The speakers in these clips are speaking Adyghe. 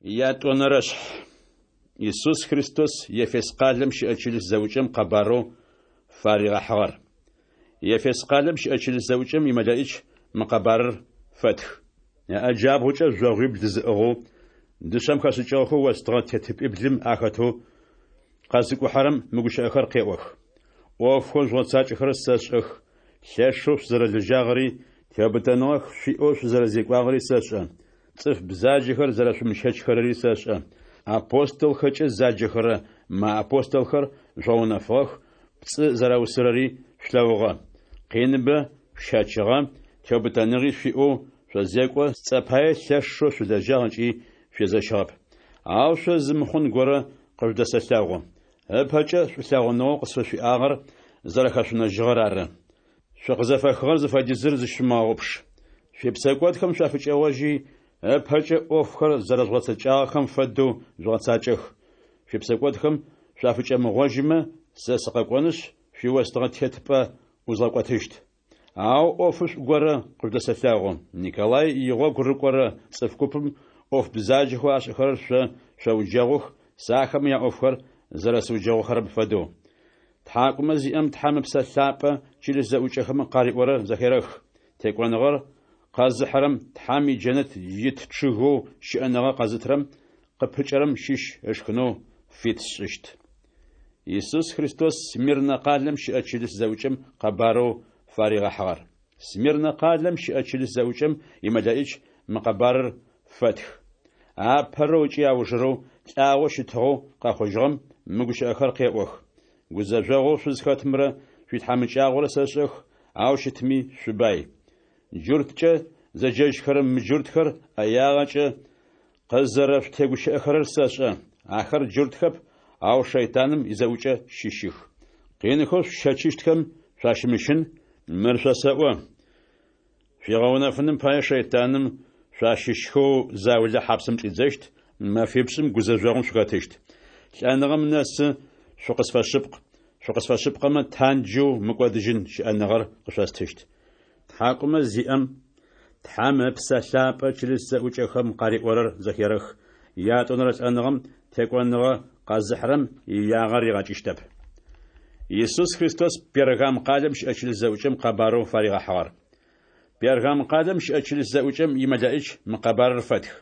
Ятӏонэрэшъхь. Исус Христос Ефес къалэм щыӏэ чылыс зэӏукӏэм къэбарэу фаригъэхьыгъэр. Ефес къалэм щыӏэ чылыс зэӏукӏэм имэлэӏич мы къэбарыр фэтх. Ыӏэ джабгъукӏэ жъогъуибл зыӏыгъэу, дышъэм хэшӏыкӏыгъэхэу остыгъэ тетыпӏиблым ахэтэу къэзыкӏухьэрэм мы гущыӏэхэр къеӏох. ӏофхэу жъугъэцакӏэхэрэр сэшӏэх, лъэшэу шъузэрэлэжьагъэри, теубытэныгъэ шъуиӏэу шъузэрэзекӏуагъэри сэшӏэ. Цӏыф бзаджэхэр зэрэшъумыщэчхэрэри сэшӏэ. Апостолхэкӏэ заджэхэрэ мыапостолхэр жъугъэунэфыгъэх, пцӏы зэраусырэри шъулъэгъугъэ. Къиныбэ шъущэчыгъэ, теубытэныгъи шъуиӏэу шъозекӏо, сцӏэ пае лъэшэу шъулэжьагъ ыкӏи шъуезэщыгъэп. Ау шъо зы мыхъун горэ къыжъудэсэлъэгъу. Ыпэкӏэ шӏулъэгъуныгъэу къысфышъуиӏагъэр зэрэхэшъунэжьыгъэр ары. Шъукъызэфэхыгъэр зыфэдизыр зыщышъумыгъэгъупш. Шъуипсэкӏодхэм шъуафыкӏэгъожьи, ыпэкӏэ ӏофхэр зэрэжъугъэцэкӏагъэхэм фэдэу жъугъэцакӏэх. Шъуипсэкӏодхэм шъуафыкӏэмыгъожьымэ, сэ сыкъэкӏонышъ, шъуиостыгъэ тетыпӏэ ӏузгъэкӏотыщт. Ау ӏофышӏу горэ къыжъудэсэлъэгъу. Николай игъогу рыкӏорэ цӏыф купым ӏоф бзаджэхэу ашӏэхэрэр шъо шъоуджэгъух, сэ ахэмэ яӏофхэр зэрэсыуджэгъухэрэм фэдэу. Тхьакӏумэ зиӏэм Тхьэм Ыпсэ Лъапӏэ чылыс зэӏукӏэхэм къариӏорэр зэхерэх. Текӏоныгъэр къэзыхьырэм Тхьэм иджэнэт ит чъыгэу щыӏэныгъэ къэзытырэм къыпыкӏэрэм щыщ ышхынэу фит сшӏыщт. Исус Христос Смирнэ къалэм щыӏэ чылыс зэӏукӏэм къэбарэу фаригъэхьыгъэр. Смирнэ къалэм щыӏэ чылыс зэӏукӏэм имэлэӏич мы къэбарыр фэтх. Апэрэу ыкӏи аужырэу, лӏагъэу щытыгъэу къэхъужьыгъэм мы гущыӏэхэр къеӏох. Гузэжъогъоу шъузхэтымрэ шъуитхьамыкӏагъорэ сэшӏэх, ау щытми шъубай. Джурткӏэ зэджэжьхэрэ мыджуртхэр ӏэягъэкӏэ къызэрэшъутегущыӏэхэрэр сэшӏэ. Ахэр джуртхэп, ау шэйтаным изэӏукӏэ щыщых. Къинхэу шъущэчыщтхэм шъуащымыщын, мыр шъосэӏо. Шъуигъэунэфыным пае шэйтаным шъуащыщхэу заулэ хьапсым чӏидзэщт, мэфипшӏым гузэжъогъум шъухэтыщт. Лӏэныгъэм нэсы шъукъысфэшъыпкъ, шъукъысфэшъыпкъэмэ, танджэу мыкӏодыжьын щыӏэныгъэр къышъостыщт. Тхьакӏумэ зиӏэм Тхьэм Ыпсэ Лъапӏэ чылыс зэӏукӏэхэм къариӏорэр зэхерэх, ятӏонэрэ лӏэныгъэм текӏоныгъэ къэзыхьырэм иягъэ ригъэкӏыщтэп. Исус Христос Пергам къалэм щыӏэ чылыс зэӏукӏэм къэбарэу фаригъэхьыгъэр. Пергам къалэм щыӏэ чылыс зэӏукӏэм имэлэӏич мы къэбарыр фэтх.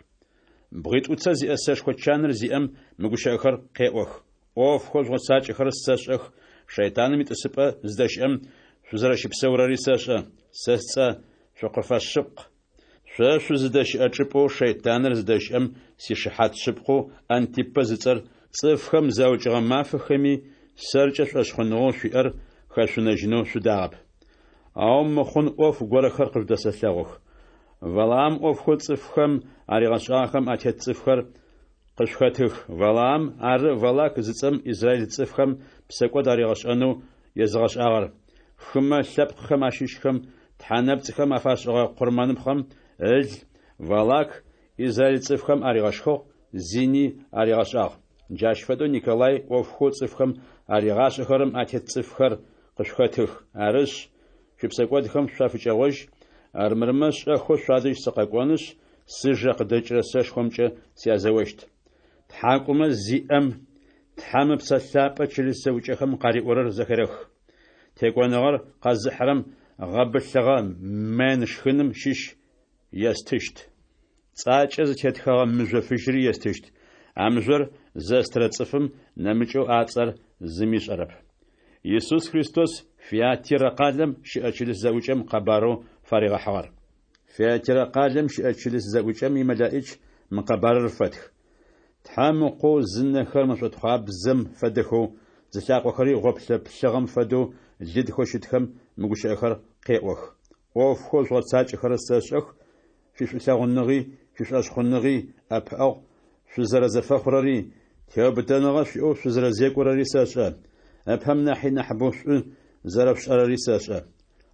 Бгъитӏуцэ зиӏэ сэшхо чаныр зиӏэм мы гущыӏэхэр къеӏох. ӏофхэу жъугъэцакӏэхэрэр сэшӏэх, шэйтаным итӏысыпӏэ зыдэщыӏэм шъузэрэщыпсэурэри сэшӏэ. Сэ сцӏэ шъукъыфэшъыпкъ. Шъо шъузыдэщыӏэ чӏыпӏэу шэйтаныр зыдэщыӏэм сишыхьат шъыпкъэу Антипэ зыцӏэр цӏыфхэм заукӏыгъэ мафэхэми сэркӏэ шӏошъхъуныгъэу шъуиӏэр хэшъунэжьынэу шъудагъэп. Ау мыхъун ӏоф горэхэр къыжъудэсэлъэгъух. Валаам ӏофхэу цӏыфхэм аригъэшӏагъэхэм атет цӏыфхэр къышъухэтых. Валаам ары Валак зыцӏэм израиль цӏыфхэм псэкӏод аригъэшӏэнэу езыгъэшӏагъэр. Хымэ лъэпкъхэм ащыщхэм тхьэ нэпцӏхэм афашӏыгъэ къурмэныпхъэм ыл Валак израиль цӏыфхэм аригъэшхыгъ, зини аригъэшӏагъ. Джащ фэдэу Николай ӏофхэу цӏыфхэм аригъашӏэхэрэм атет цӏыфхэр къышъухэтых. Арышъ, шъуипсэкӏодхэм шъуафыкӏэгъожь, армырмэ шӏэхэу шъуадэжь сыкъэкӏонышъ, сыжэ къыдэкӏырэ сэшхомкӏэ сязэощт. Тхьакӏумэ зиӏэм Тхьэм Ыпсэ Лъапӏэ чылыс зэӏукӏэхэм къариӏорэр зэхерэх. Текӏоныгъэр къэзыхьырэм гъэбылъыгъэ мэнн шхыным щыщ естыщт. Цӏакӏэ зытетхэгъэ мыжъо фыжьыри естыщт. А мыжъор зэстырэ цӏыфым нэмыкӏэу а цӏэр зыми ышӏэрэп. Исус Христос Фиатирэ къалэм щыӏэ чылыс зэӏукӏэм къэбарэу фаригъэхьыгъэр. Фиатирэ къалэм щыӏэ чылыс зэӏукӏэм имэлэӏич мы къэбарыр фэтх. Тхьэм Ыкъоу зынэхэр мэшӏотхъуабзэм фэдэхэу, зылъакъохэри гъоплъэ плъыгъэм фэдэу лыдхэу щытхэм мы гущыӏэхэр къеӏох. ӏофхэу жъугъэцакӏэхэрэр сэшӏэх, шъуишӏулъэгъуныгъи, шъуишӏошъхъуныгъи, ӏэпыӏэгъу шъузэрэзэфэхъурэри, теубытэныгъэ шъуиӏэу шъузэрэзекӏорэри сэшӏэ. Ыпэм нахьи нахьыбэу шӏу зэрэшъушӏэрэри сэшӏэ.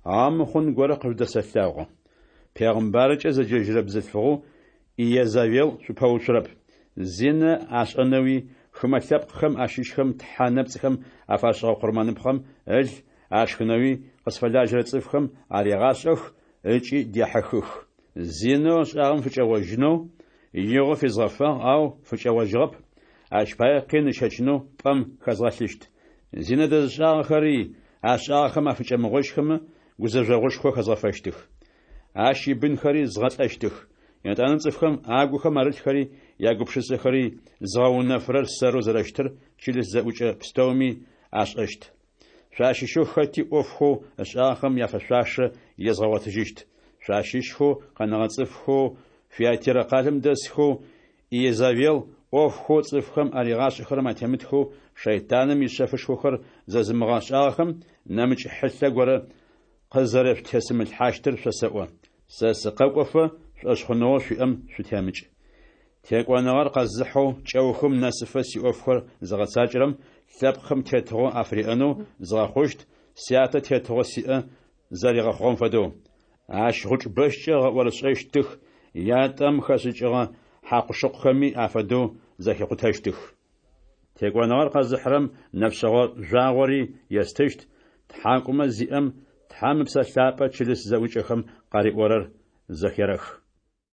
Ау мыхъун горэ къыжъудэсэлъэгъу. Пегъымбаркӏэ зэджэжьырэ бзылъфыгъэу Иезавел шъупэуцурэп. Зинэ ашӏэнэуи, хымэ лъэпкъхэм ащыщхэм тхьэ нэпцӏхэм афашӏыгъэ къурмэныпхъэм ыл ашхынэуи къысфэлажьэрэ цӏыфхэм арегъашӏэх ыкӏи дехьыхых. Зинэу ышӏагъэм фыкӏэгъожьынэу Игъо физгъэфагъ, ау фыкӏэгъожьыгъэп, ащ пае къин ыщэчынэу пӏэм хэзгъэлъыщт. Зинэ дэзышӏагъэхэри, ашӏагъэхэм афыкӏэмыгъожьхэмэ, гузэжъогъушхо хэзгъэфэщтых. Ащ ибынхэри згъэлӏэщтых. Етӏанэ цӏыфхэм агухэм арылъхэри ягупшысэхэри зыгъэунэфырэр сэрэу зэрэщытыр чылыс зэӏукӏэ пстэуми ашӏэщт. Шъуащыщэу хэти ӏофхэу ышӏагъэхэм яфэшъуашэ езгъэгъотыжьыщт. Шъуащыщхэу къэнэгъэ цӏыфхэу Фиатирэ къалэм дэсхэу, Иезавел ӏофхэу цӏыфхэм аригъашӏэхэрэм атемытхэу, шэйтаным ишъэфышхохэр зэзымыгъэшӏагъэхэм нэмыкӏ хьылъэ горэ къызэрэшъутесымылъхьащтыр шъосэӏо. Сэ сыкъэкӏофэ, шӏошъхъуныгъэу шъуиӏэм шъутемыкӏ. Текӏоныгъэр къэзыхьэу, кӏэухым нэсыфэ сиӏофхэр зыгъэцакӏэрэм лъэпкъхэм тетыгъо афыриӏэнэу згъэхъущт, Сятэ тетыгъо сиӏэ зэригъэхъугъэм фэдэу. Ащ гъучӏ бэщкӏэ ыгъэӏорышӏэщтых, ятӏэм хэшӏыкӏыгъэ хьакъу-шыкъухэми афэдэу зэхикъутэщтых. Текӏоныгъэр къэзыхьырэм нэфшъэгъо жъуагъори естыщт, Тхьакӏумэ зиӏэм Тхьэм Ыпсэ Лъапӏэ чылыс зэӏукӏэхэм къариӏорэр зэхерэх.